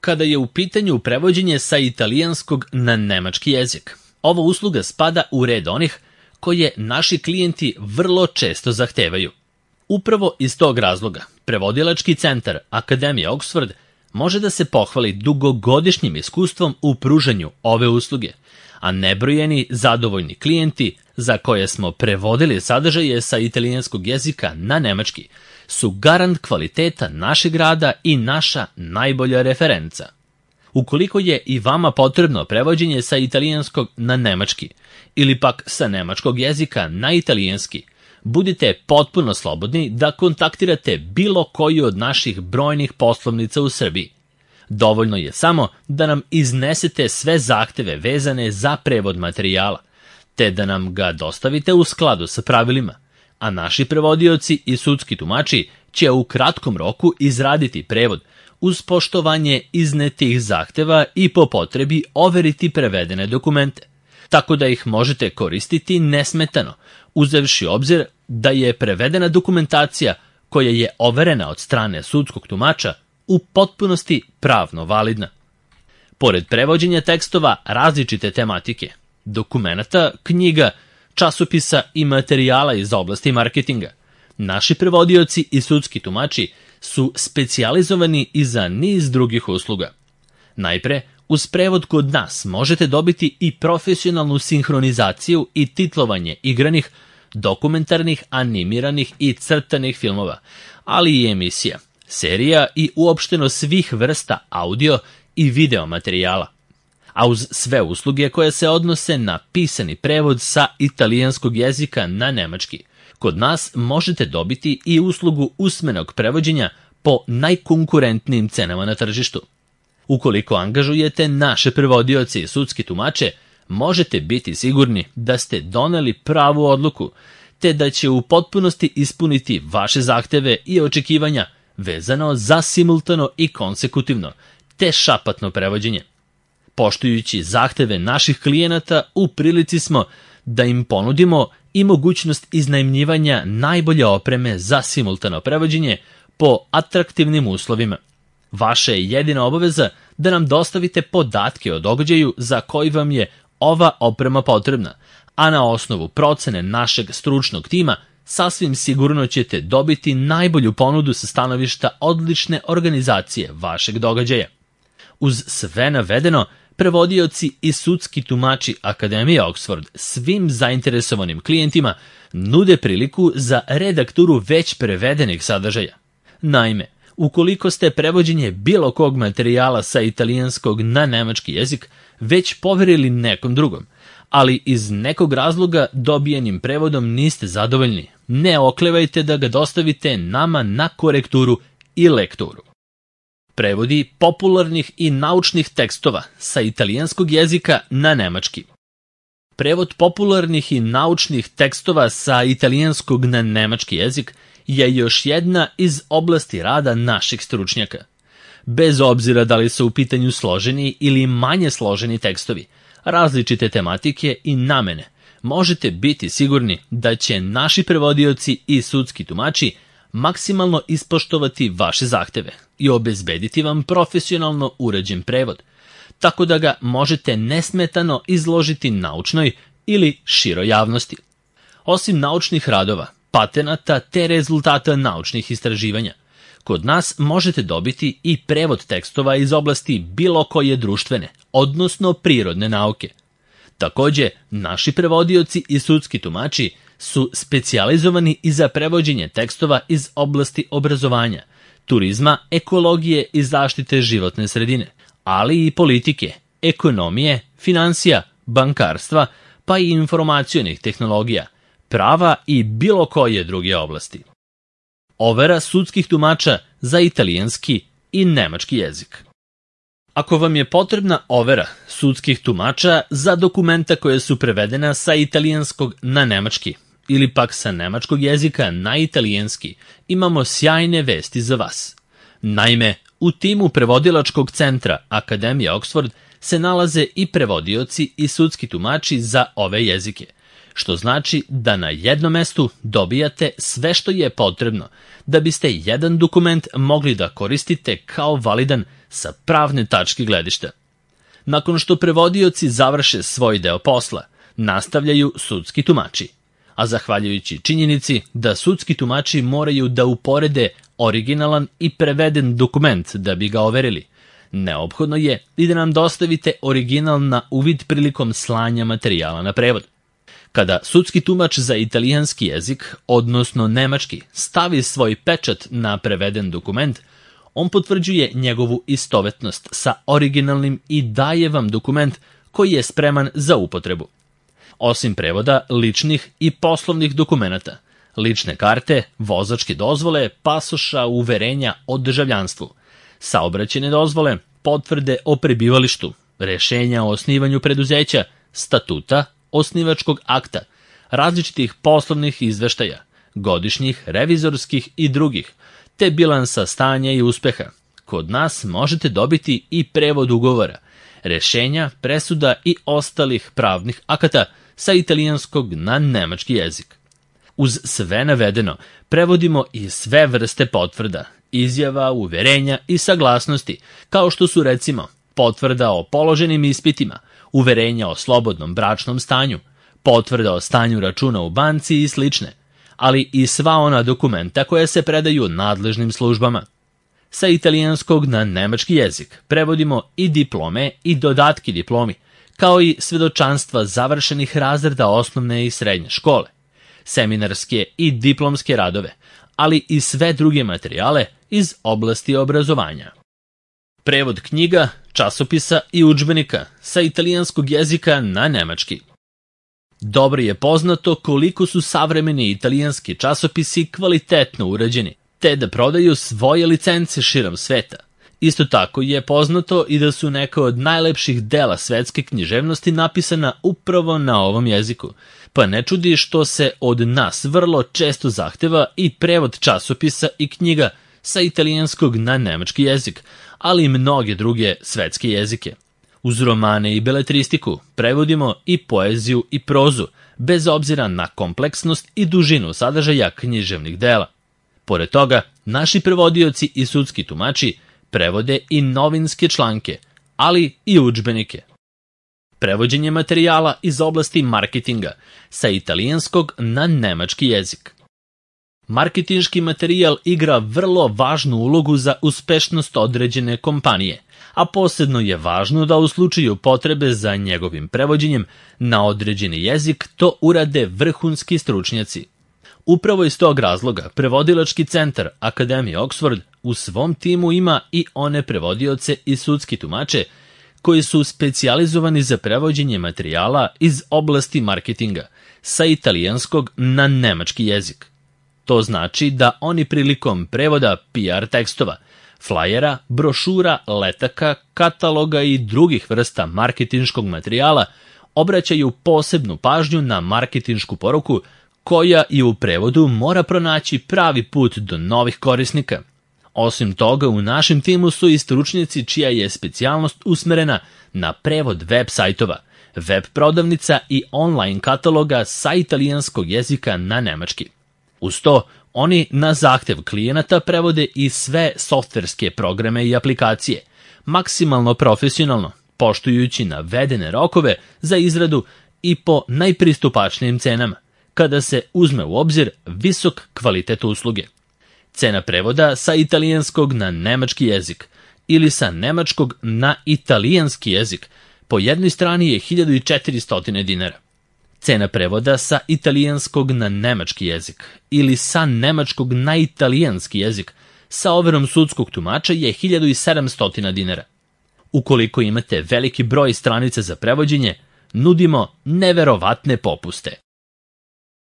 kada je u pitanju prevođenje sa italijanskog na nemački jezik. Ova usluga spada u red onih koje naši klijenti vrlo često zahtevaju. Upravo iz tog razloga, prevodilački centar Akademije Oxford može da se pohvali dugogodišnjim iskustvom u pružanju ove usluge, a nebrojeni zadovoljni klijenti za koje smo prevodili sadržaje sa italijanskog jezika na nemački su garant kvaliteta našeg rada i naša najbolja referenca. Ukoliko je i vama potrebno prevođenje sa italijanskog na nemački ili pak sa nemačkog jezika na italijanski, budite potpuno slobodni da kontaktirate bilo koju od naših brojnih poslovnica u Srbiji. Dovoljno je samo da nam iznesete sve zahteve vezane za prevod materijala, te da nam ga dostavite u skladu sa pravilima, a naši prevodioci i sudski tumači će u kratkom roku izraditi prevod uz poštovanje iznetih zahteva i po potrebi overiti prevedene dokumente, tako da ih možete koristiti nesmetano, uzevši obzir da je prevedena dokumentacija koja je overena od strane sudskog tumača u potpunosti pravno validna. Pored prevođenja tekstova različite tematike, dokumenata, knjiga, časopisa i materijala iz oblasti marketinga, naši prevodioci i sudski tumači su specijalizovani i za niz drugih usluga. Najpre, uz prevod kod nas možete dobiti i profesionalnu sinhronizaciju i titlovanje igranih, dokumentarnih, animiranih i crtanih filmova, ali i emisija, serija i uopšteno svih vrsta audio i video materijala. A uz sve usluge koje se odnose na pisani prevod sa italijanskog jezika na nemački, kod nas možete dobiti i uslugu usmenog prevođenja po najkonkurentnijim cenama na tržištu. Ukoliko angažujete naše prevodioce i sudski tumače, možete biti sigurni da ste doneli pravu odluku, te da će u potpunosti ispuniti vaše zahteve i očekivanja vezano za simultano i konsekutivno, te šapatno prevođenje. Poštujući zahteve naših klijenata, u prilici smo da im ponudimo i mogućnost iznajmljivanja najbolje opreme za simultano prevođenje po atraktivnim uslovima. Vaša je jedina obaveza da nam dostavite podatke o događaju za koji vam je ova oprema potrebna, a na osnovu procene našeg stručnog tima sasvim sigurno ćete dobiti najbolju ponudu sa stanovišta odlične organizacije vašeg događaja. Uz sve navedeno, prevodioci i sudski tumači Akademije Oxford svim zainteresovanim klijentima nude priliku za redakturu već prevedenih sadržaja. Naime, ukoliko ste prevođenje bilo kog materijala sa italijanskog na nemački jezik već poverili nekom drugom, ali iz nekog razloga dobijenim prevodom niste zadovoljni, ne oklevajte da ga dostavite nama na korekturu i lekturu. Prevodi popularnih i naučnih tekstova sa italijanskog jezika na nemački. Prevod popularnih i naučnih tekstova sa italijanskog na nemački jezik je još jedna iz oblasti rada naših stručnjaka. Bez obzira da li su u pitanju složeni ili manje složeni tekstovi, različite tematike i namene, možete biti sigurni da će naši prevodioci i sudski tumači maksimalno ispoštovati vaše zahteve i obezbediti vam profesionalno uređen prevod, tako da ga možete nesmetano izložiti naučnoj ili široj javnosti. Osim naučnih radova, patenata te rezultata naučnih istraživanja, kod nas možete dobiti i prevod tekstova iz oblasti bilo koje društvene, odnosno prirodne nauke. Takođe, naši prevodioci i sudski tumači su specijalizovani i za prevođenje tekstova iz oblasti obrazovanja, turizma, ekologije i zaštite životne sredine, ali i politike, ekonomije, finansija, bankarstva, pa i informacionih tehnologija, prava i bilo koje druge oblasti. Overa sudskih tumača za italijanski i nemački jezik. Ako vam je potrebna overa sudskih tumača za dokumenta koje su prevedena sa italijanskog na nemački ili pak sa nemačkog jezika na italijanski, imamo sjajne vesti za vas. Naime, u timu prevodilačkog centra Akademije Oxford se nalaze i prevodioci i sudski tumači za ove jezike, što znači da na jednom mestu dobijate sve što je potrebno da biste jedan dokument mogli da koristite kao validan sa pravne tačke gledišta. Nakon što prevodioci završe svoj deo posla, nastavljaju sudski tumači, a zahvaljujući činjenici da sudski tumači moraju da uporede originalan i preveden dokument da bi ga overili, neophodno je i da nam dostavite original na uvid prilikom slanja materijala na prevod. Kada sudski tumač za italijanski jezik, odnosno nemački, stavi svoj pečat na preveden dokument, on potvrđuje njegovu istovetnost sa originalnim i daje vam dokument koji je spreman za upotrebu. Osim prevoda ličnih i poslovnih dokumenata, lične karte, vozačke dozvole, pasoša, uverenja o državljanstvu, saobraćajne dozvole, potvrde o prebivalištu, rešenja o osnivanju preduzeća, statuta, osnivačkog akta, različitih poslovnih izveštaja, godišnjih, revizorskih i drugih, te bilansa stanja i uspeha. Kod nas možete dobiti i prevod ugovora, rešenja, presuda i ostalih pravnih akata sa italijanskog na nemački jezik. Uz sve navedeno, prevodimo i sve vrste potvrda, izjava, uverenja i saglasnosti, kao što su recimo potvrda o položenim ispitima, uverenja o slobodnom bračnom stanju, potvrda o stanju računa u banci i slične, ali i sva ona dokumenta koja se predaju nadležnim službama. Sa italijanskog na nemački jezik prevodimo i diplome i dodatki diplomi, kao i svedočanstva završenih razreda osnovne i srednje škole, seminarske i diplomske radove, ali i sve druge materijale iz oblasti obrazovanja. Prevod knjiga, časopisa i udžbenika sa italijanskog jezika na nemački. Dobro je poznato koliko su savremeni italijanski časopisi kvalitetno urađeni, te da prodaju svoje licence širom sveta. Isto tako je poznato i da su neka od najlepših dela svetske književnosti napisana upravo na ovom jeziku, pa ne čudi što se od nas vrlo često zahteva i prevod časopisa i knjiga sa italijanskog na nemački jezik, ali i mnoge druge svetske jezike. Uz romane i beletristiku prevodimo i poeziju i prozu, bez obzira na kompleksnost i dužinu sadržaja književnih dela. Pored toga, naši prevodioci i sudski tumači prevode i novinske članke, ali i udžbenike. Prevođenje materijala iz oblasti marketinga sa italijanskog na nemački jezik. Marketinški materijal igra vrlo važnu ulogu za uspešnost određene kompanije, a posebno je važno da u slučaju potrebe za njegovim prevođenjem na određeni jezik to urade vrhunski stručnjaci. Upravo iz tog razloga prevodilački centar Akademije Oxford u svom timu ima i one prevodioce i sudski tumače koji su specijalizovani za prevođenje materijala iz oblasti marketinga sa italijanskog na nemački jezik. To znači da oni prilikom prevoda PR tekstova, flajera, brošura, letaka, kataloga i drugih vrsta marketinškog materijala obraćaju posebnu pažnju na marketinšku poruku koja i u prevodu mora pronaći pravi put do novih korisnika. Osim toga, u našem timu su i stručnjaci čija je specijalnost usmerena na prevod web sajtova, web prodavnica i online kataloga sa italijanskog jezika na nemački. Uz to, oni na zahtev klijenata prevode i sve softverske programe i aplikacije, maksimalno profesionalno, poštujući navedene rokove za izradu i po najpristupačnijim cenama, kada se uzme u obzir visok kvalitet usluge. Cena prevoda sa italijanskog na nemački jezik ili sa nemačkog na italijanski jezik po jednoj strani je 1400 dinara. Cena prevoda sa italijanskog na nemački jezik ili sa nemačkog na italijanski jezik sa overom sudskog tumača je 1700 dinara. Ukoliko imate veliki broj stranica za prevođenje, nudimo neverovatne popuste.